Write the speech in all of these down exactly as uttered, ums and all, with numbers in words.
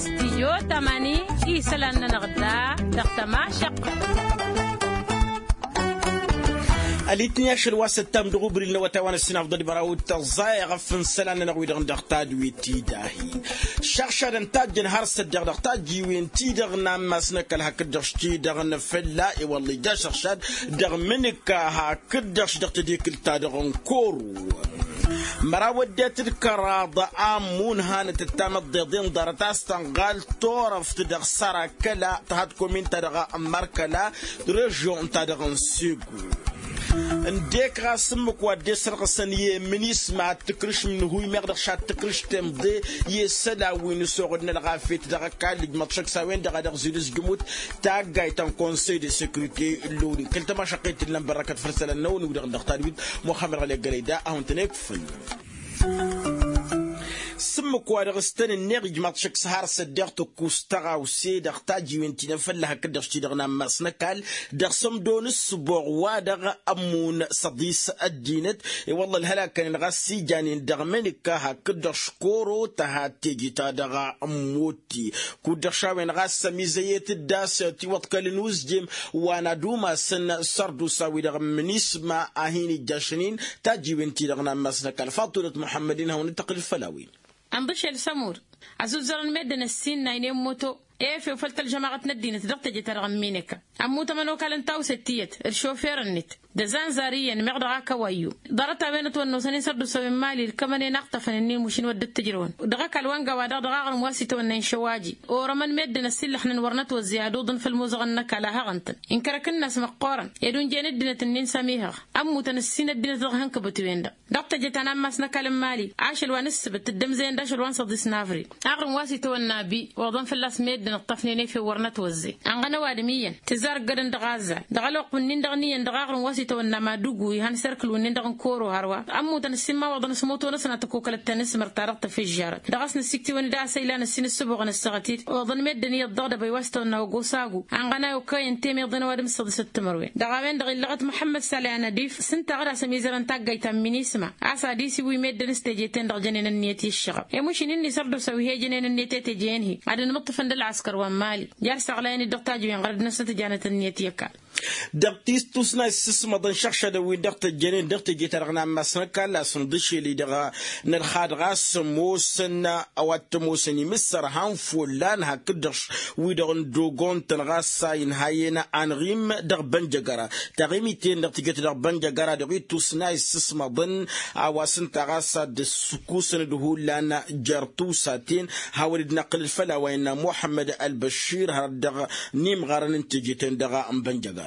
Stijyo tamani isălan-nănăɣ da dăɣ-tămašăqq. Ălitni ašăl wa s-ăttam dăɣ-ubril n-awătay wa n-ăssinafḍăd măraw d-tăẓẓa i-ɣăf n-isălan-nănăɣ wi-dăɣ dăɣ-tadwit-i dahi. Šăɣšadăn tajjăn har s-ăddeɣ dăɣ-tajjiwen-ti-dăɣ n-ammas n-ăkall hakd-dăɣ s-ti-dăɣ n-fălla i-wălla ija šăɣšad dăɣ-imǝnǝka hakd-dăɣ s-dăɣ tedikǝlt-ta-dăɣ n-koro. Măraw ăddinăt d-kăraḍ ammun hanăt ăttamăḍ d-iḍen ḍarăt a-s tănɣal turăft dăɣ-sărakăla tăhad komin-ta-dăɣ n-markăla režion-ta-dăɣ n-segu. Ǝndek ɣas ǝmmǝk wa dd-esărɣǝsăn i-minisma ad-tǝkrǝš n-ihuy meɣ dăɣ-šad tǝkrǝš temḍe i-isălan wi n-ăsoɣăd n-ălɣafyăt dăɣ-ăkall ǝjmăḍ šăkk s-a-wen-dăɣ a dăɣ-zilǝzjǝmut taggayt ta n-konsăy de sekurite n-loni kăl-tămašăqqet ǝllan bărrăkăt făll-isălan-năwăn wi-dăɣ dăɣ-tadwit muxămmăd ɣăli ăggălăy da a hawăn-tăn-ikfǝl. S-ǝmmǝk wa dăɣ-s tăn-ǝnneɣ ijmaḍ šăkk s-har s-ăddeɣ tăkkus tăɣawse dăɣ-tajiwen ti n-efălla hakd-dăɣ s-ti-dăɣ n-ammas n-ăkall dăɣ-sămdo n-ǝssǝboɣ wa-dăɣ ămmun s-ăḍis ăddinăt. I-wălla ălhălakăn-in ɣas s-ijanen dăɣ-menǝkka hakd-dăɣ škoro tăhat teje-ta-dăɣ n-mutti kud-dăɣ šawen ɣas ămizăyet d-a-s tiwăḍkăl n-uzjem wa n-ad-umasăn sărdusa-wi-dăɣ n-minisma a hin-ijjašăn-in tajiwen-ti-dăɣ n-ammas n-ăkall faḍulăt muḥămmăd-in hawăn-dd-tăqqǝl făll-a-wen. Ănḍǝšel s-ămur ăzuzzărăn meddǝn ăssinnaynen moto efew făll-tălžămaɣăt n-ăddinăt dăɣ-teje-ta-dăɣ n-mineka ămmut ămănokal n-tawset tiyyăt d-šofer-net d-azanzar iyyăn meɣ dăɣ-akăwayyu. Ḍarăt-a-wen ătwănnosăn-in sărdusăwen mali ǝlkămăn-en aɣtăfăn-ǝnnin mušǝn wăr dd-tǝjrăwăn dăɣ-ăkall wa n-gawa-dăɣ dăɣ-aɣrǝm wa s-itwănna inšăwaji orămăn meddǝn ăsillăxnen wăr nătwăzzey ad-uḍǝn făll-imuzăɣăn n-ăkall a hăɣăn-tăn inkărăk-năs măqqoorăn ed unjăyăn ăddinăt-ǝnnin s-ămihăɣ. Ămmutăn ǝssin ăddinăt dăɣ-ihăn kăbătwen-dăɣ dăɣ-teje ta n-ammas n-ăkall n-mali ašăl wa n-ǝssǝbǝt dd-ămzăyăn d-ašăl wa n-săḍis n-avril. Aɣrǝm wa s-itwănna bi oḍăn fălla-s meddǝn ǝṭṭăfnen efew wăr nătwăzzey ănɣăn ăwadǝm iyyăn tǝzzar ǝggădăn dăɣ-azzal dăɣ-ălwăqq-wǝnnin-dăɣ n-iyyăn dăɣ-aɣrǝm wa s-itwănna madugu ihăn serkǝl-wǝnnin-dăɣ n-koro hărwa. Ămmutăn ǝssin imawaḍăn s-moto-năsăn ad-tăkokălăt tanǝsmărt-ta-dăɣ tăfǝžžarăt dăɣ-s nǝssiktiwăn d-asăyla n-ǝssin ǝssǝboɣăn ăssaɣăt-dd oḍăn meddǝn iyyăḍ dăɣ-dăbăy wa s-tawănna ogosagu ănɣănay okăyăn temeḍen ăwadǝm s-săḍisăt timǝrwen dăɣ-a-wen-dăɣ illăɣăt muḥămmăd salih anădif s-ǝnta a ɣǝd-as ămizărăn taggayt ta n-minisma a-s ad-isǝwǝy meddǝn s-teje-ten-dăɣ jănen ǝnniyăt i-ǝššăɣăb i-mušǝn-in-i sărdusăw ih'-ejănen ǝnniyăt i-teje-en-hi ad-ănmǝṭṭǝfăn d-ălɣăskăr wa n-mali. Jar săɣlayăn-dd dăɣ-tajǝwen ɣărăd-năsnăt janăt ǝnniyăt i-ăkall. Dăɣ-tistusna issǝsmăḍăn šăɣšadăn-win-dăɣ tăjjănen dăɣ-teje-ta-dăɣ n-ammas n-ăkall a-s ǝnḍǝšel-i-dăɣ nălxad ɣas ămoosăn a-wa t-ămoosăn imǝssăr han follan hakd-dăɣ wi-dăɣ n-dogon-tăn ɣas a inha-en anɣim dăɣ-bănjăgăra. Taɣimit-en-dăɣ tǝjăt dăɣ-bănjăgăra dăɣ-ittusna issǝsmăḍăn a-wa s-ǝnta ɣas a dd-ǝssǝkkusăn d-hullan jer-tusa-ten hawăn-dd-năqqǝlăd făll-a-wa innă muḥămmăd ălbăššir hărăt dăɣ-nimɣarăn n-teje-ten-dăɣ n-bănjăgăra.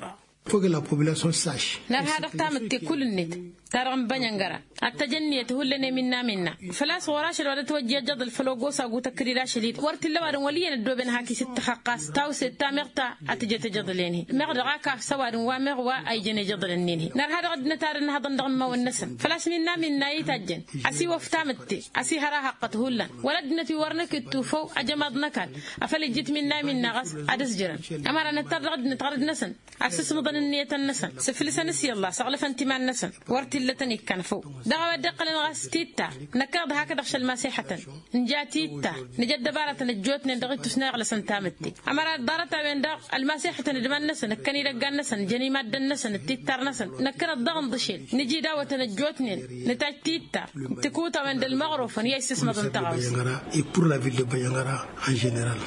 Făgg la population saš. Nărha dăɣ-tamǝtte kull-net ta dăɣ-n-bănjăngăra ad-tăj ǝnniyăt hullan i-minna minna. Făl-a-s ɣur-ašăl wa dăt-wăjja ijăḍǝl făll-ogos agu tăkkăd-dd ašăl-i-dd wăr t-illa ăwadǝm wăl' iyyăn ăddooben hak isǝttăxăqqas tawset ta meɣ ta ad-tǝjăt ijăḍǝl-en-hi meɣ dăɣ-ak afs ăwadǝm wa meɣ wa a ijăn ijăḍǝl-ǝnnin-hi. Nărha dăɣ-ăddinăt ad-ănhăḍăn dăɣ-imawăn-năsăn făl-a-s minna minna a ităjjăn ăsiwăf tamǝtte ăsihăr ahăqqăt hullan wăla ăddinăt wi wăr năkǝttǝw făw ajămaḍ n-ăkall. Afăl ijjǝt minna minna ɣas ad-ǝzjărăn ămăra năttar dăɣ-ăddinăt ɣărăd-năsăn ad-sǝsmǝḍăn ǝnniyătăn-năsăn sǝflǝsăn s-i ăllah săɣlăfăn t-iman-năsăn. Wăr t-illătăn ikkan făw dăɣ-a-wa dd-iqqălăn ɣas tittar. Năkkăneḍ hakd-dăɣ šălmasixătăn nǝja tittar nǝja ăddăbarătăn ăjjootnen dăɣ-ittus n-a iɣlăsăn tamǝtte. Ămăra ḍarăt-a-wen-dăɣ ălmasixătăn d-iman-năsăn ǝkkăn idăggan-năsăn jăn imaddăn-năsăn d-tittar-năsăn. Năkkăneḍ daɣ ǝnḍǝšel nǝja idawătăn ăjjootnen nǝtaj tittar. Tǝkutawăn d-ălmăɣrofăn i-a issǝsmăḍăn tăɣawse. Bănjăngăra et pour la ville de bănjăngăra en general.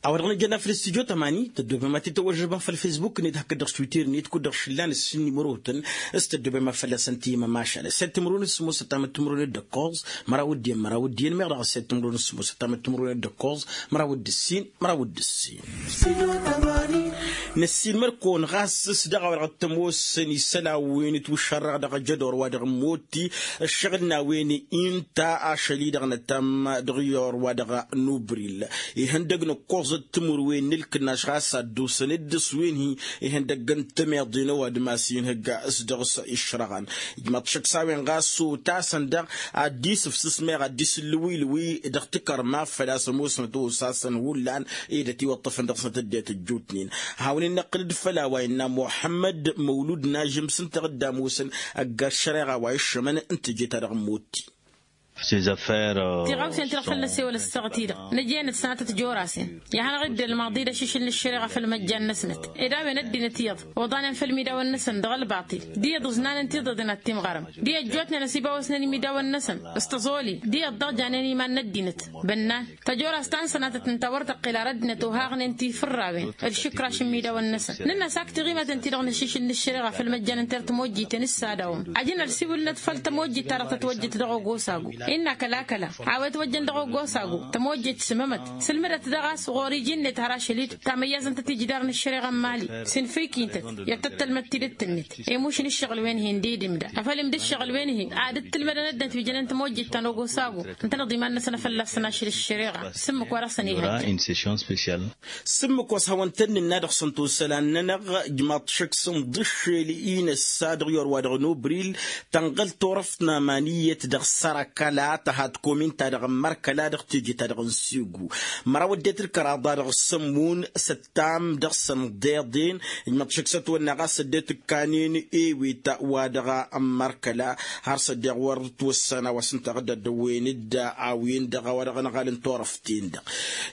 A-wa dăɣ-nǝjănna făll-studyo tămani tăddobem ad-t-tăwăžžăbăm făll-fesbuk-net hakd dăɣ-twitter-net kud-dăɣ šǝllan ǝssin nimărotăn s-tăddobem ad-fălla-săn timămašal ăssed timǝrwen s-sǝmmos ăttam d-timǝrwen d-ǝkkoẓ măraw d-iyyăn măraw d-iyyăn meɣ dăɣ-ăssed timǝrwen s-sǝmmos ăttam d-timǝrwen d-ǝkkoẓ măraw d-ǝssin măraw d-ǝssin. Năssiinmăr kăwăn ɣas s-dăɣ-a-wa dăɣ-t-ămoosăn isălan wi n-itwǝššărrăɣ dăɣ-ajădor wa dăɣ-ămmotti ăššăɣǝl n-a-wen inta ašăl-i-dăɣ năttam dăɣ-iyyăr wa dăɣ-nubril. Ihăndăg n-ǝkkoẓăt timǝrwen n-ǝlkǝnnaš ɣas a dd-osăn dd-ăswen-hi ihăndăg n-tămeḍe n-ăwadǝm a-s inhǝgg s-dăɣ-s išrăɣăn. Ijmăḍ šăkk s-a-wen ɣas otasăn daɣ ad-dd-isǝfsǝs meɣ ad-dd-isǝllǝwǝylǝwǝy dăɣ-tikărma făl-a-s ămoosnăt osasăn hullan ed ătiwăṭṭăfăn dăɣ-snăt ăddinăt ăjjootnen. Hawăn-in-năqqǝlăd făll-a-wa innă muḥămmăd măwlud n-ažǝm s-ǝnta dăɣ-dd-ămoosăn ăgg-ăššăreɣa wa iššămăn n-teje-ta-dăɣ n-motti. Tiɣawsen-ti-dăɣ făll-năsewăl ăssaɣăt-i-dăɣ năj'-enăt sănatăt jorasen. I-ad-hanăɣ-dd-ălmaḍi d-ašišǝl n-ăššăreɣa făll-măjjan-năsnăt ed a-wen ăddinăt iyyăḍ oḍanen făll-imidawăn-năsăn dăɣ-ălbaṭil d-iyyăḍ ǝznan ǝnta iḍeḍen ad-t-imɣărăm d-iyyăt ăjjootnen ăsibawăsnen imidawăn-năsăn s-tăẓoli d-iyyăt daɣ janen iman n-ăddinăt. Bănnan tăjorast ta n-sănatăt ǝnta a wăr tăqqel ar ăddinăt ohaɣnen tifǝrrawen d-išǝkraš n-imidawăn-năsăn. Nǝnn'-as ak tiɣimăten-ti-dăɣ n-ašišǝl n-ăššăreɣa făll-măjjan n-tert timojjiten s-ad-awăm ajǝn ălsiwǝlnăt făll-tămojjit-ta-dăɣ tătwăjjăt dăɣ-ogosagu. Innă kăla-kăla a-wa itwăjjăn dăɣ-ogosagu tămojjit s-mămăt sǝlmǝdăt daɣ a-s ɣur-iji-net har ašăl-i-dd tamăyyazăn-tăt ijidar n-ăššăreɣa n-mali. S-infǝyk-i ǝntăt i-ad-tăt-tălmăd tidǝt-net. Emuš n-ǝššăɣǝl-wen-hi ǝndidǝm da afăl imdǝššăɣǝl-wen-hi ad-ǝttǝlmădăn ăddinăt wi jănen tămojjit ta n-ogosagu. Ǝntăneḍ iman-năsăn a fălla-săn ašăl ăššăreɣa s-ǝmmǝk wa dăɣ-săn ihăjja. S-ǝmmǝk wa s-hawăn-tăn-nǝnna dăɣ-săn tosălan-nănăɣ ǝjmaḍ šăkk s-ǝnḍǝššel-i n-ăssa dăɣ-iwăr wa dăɣ-nobril. Tănɣăl turăft n-aman iyyăt dăɣ-sărăkăla tăha tăkomin-ta-dăɣ n-mărkăla dăɣ-teje-ta-dăɣ n-segu. Măraw ăddinăt d-kăraḍa dăɣ-sămmun s-ăttam dăɣ-săn ḍeḍen. Ǝjmăḍ šăkk s-ătwănna ɣas ăddinăt ǝkkanen ewet wa dăɣ-mărkăla har s-ăddeɣ wăr ǝtwăssan a-wa s-ǝnta ɣǝdda dd-ăwwen-dd a-wen-dăɣ a-wa dăɣ-ănɣal n-turăft. Tin-dăɣ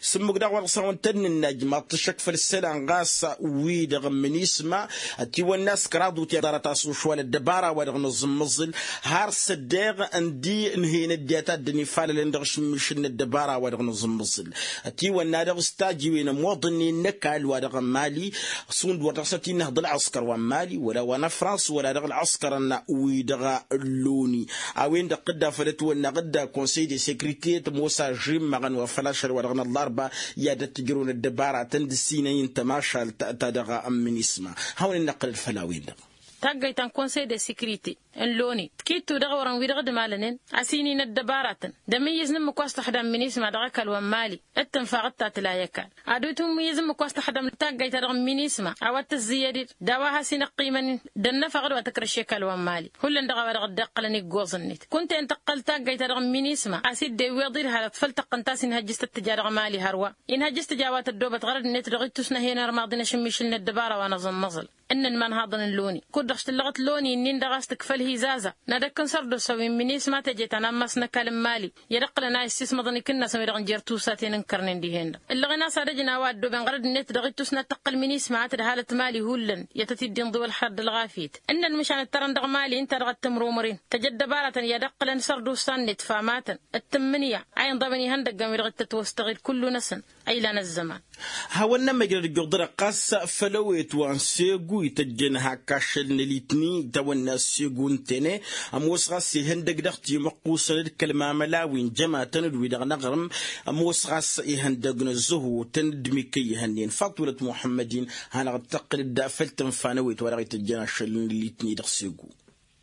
s-ǝmmǝk daɣ wa dăɣ-s-hawăn-tăn-nǝnna ǝjmaḍ-t šăkk făll-isălan ɣas wi-dăɣ n-minisma. Ătiwănna s-kăraḍ wǝtyan ḍarăt a-s ošwal ăddăbara wa dăɣ-nǝẓǝmmǝẓǝl har s-ăddeɣ ǝndi ǝnhăyăn ăddinăt a dd-ănifalălăn dăɣ-ašǝmmišǝl n-ăddăbara wa dăɣ-nǝẓǝmmǝẓǝl. Ătiwănna dăɣ-s tajiwen ămoḍănnen n-ăkall wa dăɣ-n mali. Šund wăr dăɣ-s ătinăhăḍ ălɣăskăr wa n-mali wăla wa n-ăfrans wăla dăɣ-ălɣăskărăn wi-dăɣ n-loni. A-wen-dăɣ tǝdda făll-ătwănna ɣǝdda konsăy de sekrite tămoos ažrimmăɣăn wa făl ašăl wa dăɣ-năllarba. I-ad-ătt ǝjrăwăn ăddăbaratăn d-ǝssinăy n-tămašalt ta dăɣ-ămminisma. Hawăn-in-năqqǝlăd făll-a-wen-dăɣ. Taggăyt ta n-konsăy de sekrite n-loni tǝkittu dăɣ-awărăn wi-dăɣ d-imalănen a-s-inin ăddăbaratăn d-amǝyyǝz n-ǝmmǝk wa s-tăxdam minisma dăɣ-ăkall wa n-mali. D-tǝnfa ɣǝttatǝl a i-ăkall ad-utǝmmǝyyǝz ǝmmǝk wa s-tăxdam taggăyt-ta-dăɣ n-minisma a-wa t-tǝzzǝyyăd-dd d-a-wa has-inăqqimăn d-ănnăfăɣ d-wa tǝkrăš i-ăkall wa n-mali. Hullan dăɣ-a-wa dăɣ-dd-iqqălăn iggoẓ-net kunta-en tăqqăl taggăyt-ta-dăɣ n-minisma a-s dd-iwweḍ-dd hărăt făll-tăqqǝnt a-s inhăjjǝs tăt-tǝja dăɣ-mali hărwa. Inhăjjǝs tǝja a-wa tăddoobăt ɣărăd-net dăɣ-ittus n-ehăyăn armaḍi n-ašǝmmišǝl n-ăddăbara wa n-aẓǝmmăẓǝl. Ǝnnăn imanhaḍăn n-loni kud-dăɣ s-tǝllăɣăt loni-nin-dăɣ a-s tǝkfăl hi-zaza. N-ad-ăkk n-sărdos a-wi n-minisma teje ta n-ammas n-ăkall n-mali i-ad-ǝqqǝlăn a issismăḍăn ikǝnnasăn wi-dăɣ n-jer-tusaten ǝnkărnen dihen-dăɣ. Ǝllăɣen a-s ad-ăjǝn a-wa ăddooben ɣărăd-net dăɣ-ittus n-ad-tăqqǝl minisma a tǝdhalăt mali hullan i-ad-tăt-dd-inḍǝw ălxer d-ălɣafyăt. Ǝnnăn măšan ǝttărăn dăɣ-mali ǝnta dăɣ-t tǝmrumăren tăj ăddăbaratăn i-ad-ǝqqǝlăn sărdusa-net famatăn d-tǝmmǝnǝya a inḍăbăn ihăndăggăn wi-dăɣ t-ătwăstăɣ d-kullu-năsăn. Ăylan ăzzăman. Hawăn-nămmăjrăd ǝjjuḍ-dăɣ ɣas făll-ewet wa n-segu ităjjăn hak ašăl n-alitni itawănna segu n-tene. Ămoos ɣas ihăndăg dăɣ-timăqqusăn d-kăl-mamăla wi n-jămatăn d-wi-dăɣ n-aɣrǝm. Ămoos ɣas ihăndăg n-ăzzăhutăn d-mikăy ihănnen faḍulăt muḥămmăd-in. Hanăɣ-dd-tăqqǝl-dd făll-tǝnfa n-ewet wa dăɣ-ităjjăn ašăl n-alitni dăɣ-segu.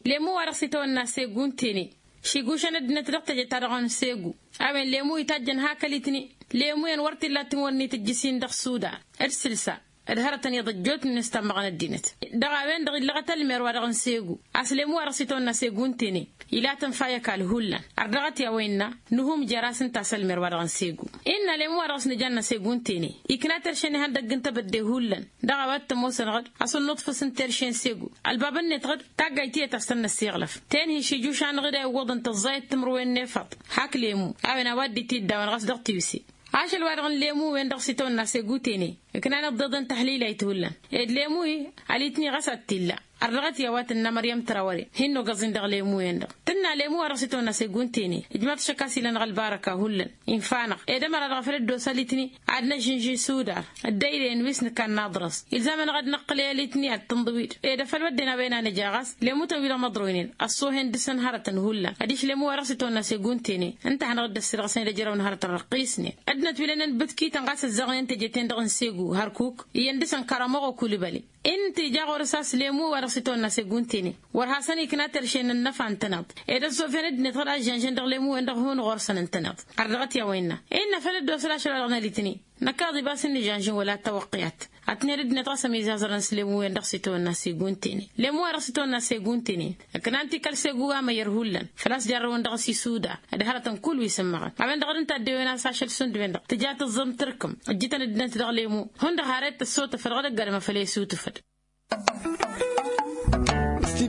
Lemu wa dăɣ-s itawănna segu n-tene. Šigušăn ăddinăt dăɣ-teje-ta-dăɣ n-segu. A-wen lemu itajjăn hak ălitni. Lemu-en wăr t-illa tǝnwănnit ǝjjǝs-in dăɣ-sudan d-sǝlsa d-hărătăn iḍăjjotnen s-tammăɣăn ăddinăt. Dăɣ-a-wen-dăɣ illăɣăt ălmer wa dăɣ-n segu. A-s lemu wa dăɣ-s itawănna segu n-tene. Ila tǝnfa i-ăkall hullan. Ărdăɣăt i-a-wa innă. Nuhum jer-as ǝnta a-s ălmer wa dăɣ-n segu. Innă lemu wa dăɣ-s nǝjanna segu n-tene. Ikna terše n-ihăndăgg n-tebădde hullan. Dăɣ-a-wa t-ămoosăn ɣǝd a-s ănnuḍfǝs n-terše n-segu. Ălbabăn-net ɣǝd taggayt tiyyăt a-s tăn-năssiɣlăf. Ten-hi šijuš-anăɣ-dd a iwwăḍăn tăẓẓayăt timǝrwen n-efăḍ. Hak lemu. A-wen a-wa dd-itiddawen ɣas dăɣ-tiwse. Ašăl-wa-dăɣ n-lemu-wen-dăɣ s-itawănna segu n-tene. Ǝknan iḍḍeḍen tăhlilăyt hullan. Ed lemu-hi alitni ɣas ad-t-illa. Ărdăɣăt i-a-wa tǝnna măryăm trawăre. Hin-nogăẓ-in dăɣ-lemu-wen-dăɣ tǝnna lemu-wa-dăɣ s-itawănna segu n-tene. Ǝjmaḍ-t šăkk a-s ila-năɣ ălbarăka hullan. Infa-năɣ ed ămăra-dăɣ a făl dd-osa alitni. Ad-năžžǝnži sudar ăddăyre n-wi s-nǝkan n-aḍrăẓ. Ilzam-anăɣ ad-năqqǝlăy alitni ad-tǝnḍǝw-dd ed afăl wădden a-wen a nǝja ɣas. Lemu-tăn-wi-dăɣ măḍroynen ăṣṣoohen dăɣ-săn hărătăn hullan adiš lemu-wa-dăɣ s-itawănna segu n-tene. Ǝnta a hanăɣ-dd-ăssirɣăsnen d-ejărăw n-hărătăn răqqisnen. Ăddinăt wi lănen bǝtkităn ɣas ăzzaɣnen teje-ten-dăɣ n-segu hărkuk iyyăn dăɣ-săn kăramăɣo kulǝbăle. Ǝnta ija ɣur-s a-s lemu wa dăɣ-s itawănna segu n-tene. Wăr hasăn-ikna terše n-ănnăfa n-tănaḍt ed ăẓẓofen ăddinăt ɣǝd a ăžžănžăn dăɣ-lemu-wen-dăɣ hun ɣur-săn n-tănaḍt. Ărdăɣăt i-a-wa innă innă făl dd-osăl ašăl wa dăɣ-nălitni. Năkkaḍ ibas n-nǝžănžăn wăla tawăqqiyat. Ad-tǝnhăd ăddinăt ɣas ămizazărăn s-lemu-wen-dăɣ s-itawănna segu n-tene. Lemu wa dăɣ-s itawănna segu n-tene. Ǝknan-t i-kăl-segu amăyyăr hullan făl-a-s jarrăwăn dăɣ-s isudar. D-hărătăn kull wi s-ǝmmăɣăn a-wen-dăɣ d-ǝnta a dd-ewăn a-s ašăl šund-wen-dăɣ tǝja tǝẓẓăm tǝrkǝm. Ǝjjǝtăn ăddinăt dăɣ-lemu. Hundăɣ har ed tăssotăfăd ɣǝd ăgg-adǝm a făl e-sutǝfăd.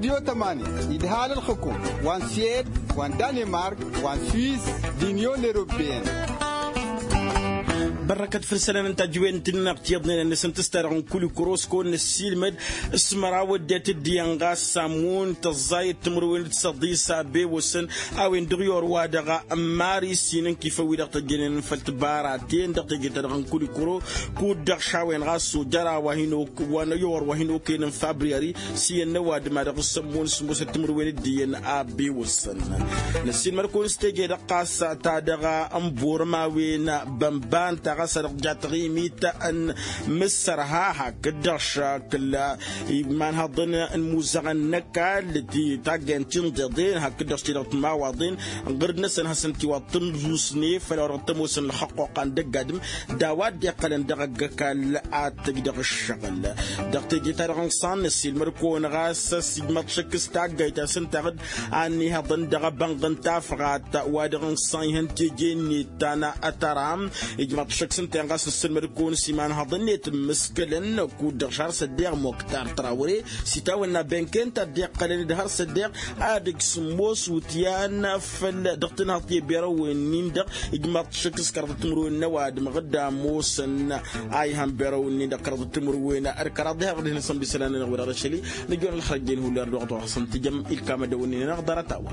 Tămani idhal ălxǝkum wa n-siyed wa n-danemark wa n-swis d-inyon eropeyăn. Bărrăkăt făll-isălan n-tajǝwen n-tǝnneɣ tiyyăḍnen ănnăsăn tǝsta dăɣ-n kulikuro s-kăwăn-năssiilmăd s-măraw ăddinăt dd-iyyăn ɣas s-ammun tăẓẓayăt timǝrwen d-săḍis a bewăsăn a-wen dăɣ-i orwa dăɣ-mari s-inǝnkifăn wi-dăɣ tăjjănen făll-tibaraten dăɣ-teje-ta-dăɣ n-kulikuro kud-dăɣ šawen ɣas s-ojăra wa hin-okăyăn n-fabriyări s-iyyăn n-ăwadǝm a dăɣ-s ămmun s-musăt timǝrwen d-iyyăn a bewăsăn. Năssiilmăd-kăwăn s-teje-dăɣ ɣas ta dăɣ-n borăm a-wen bănba ǝnta ɣas a dăɣ-tǝja taɣimit n-imǝssărha hakd-dăɣ šakǝl imanhăḍăn n-imuzăɣăn n-ăkall ti taggayăn ti n-iḍeḍen hakd-dăɣ s-ti-dăɣ timawaḍen ɣǝrǝd-năsăn hasăn-tiwaḍ tǝmzusne făll-a-wa dăɣ-t-ămoosăn ălxăqquqa n-dăgg-adǝm d-a-wa dd-iqqălăn dăɣ-ăgg-ăkall ad-t-ǝj dăɣ-ǝššăɣǝl. Dăɣ-teje-ta-dăɣ n-iṣan năssiilmăd-kăwăn ɣas s-ijmăḍ šăkk s-taggayt a-s ǝnta a dd-ănnihăḍăn dăɣ-ebănɣ n-tafɣat wa dăɣ-n iṣan ihăn teje-net ta n-atăra. Ijmăḍ šăkk s-ǝnta-en ɣas nǝssǝlmăd-kăwăn s-imanhăḍăn-net ǝmmǝskălăn kud-dăɣ šar s-ăddeɣ moktar trawre s-itawănna benken ta dd-iqqălăn d-har s-ăddeɣ ad-ǝj sǝmmos wǝtyan făll-dăɣ-tǝnhăḍt i-berăwăn-in-dăɣ. Ijmăḍ šăkk s-kăraḍăt timǝrwen n-ăwadǝm ɣǝdda ămoosăn a ihăn berăwăn-in-dăɣ kăraḍăt timǝrwen d-kăraḍ diha dăɣ-dihen asănbisălan-nănăɣ wi-dăɣ d-ašăl-i. Nǝjor ălxărăjjen hullan dăɣ-dăɣ hasăn-tǝjăm ilkamădăwăn-in-dăɣ ḍarăt-a-wa.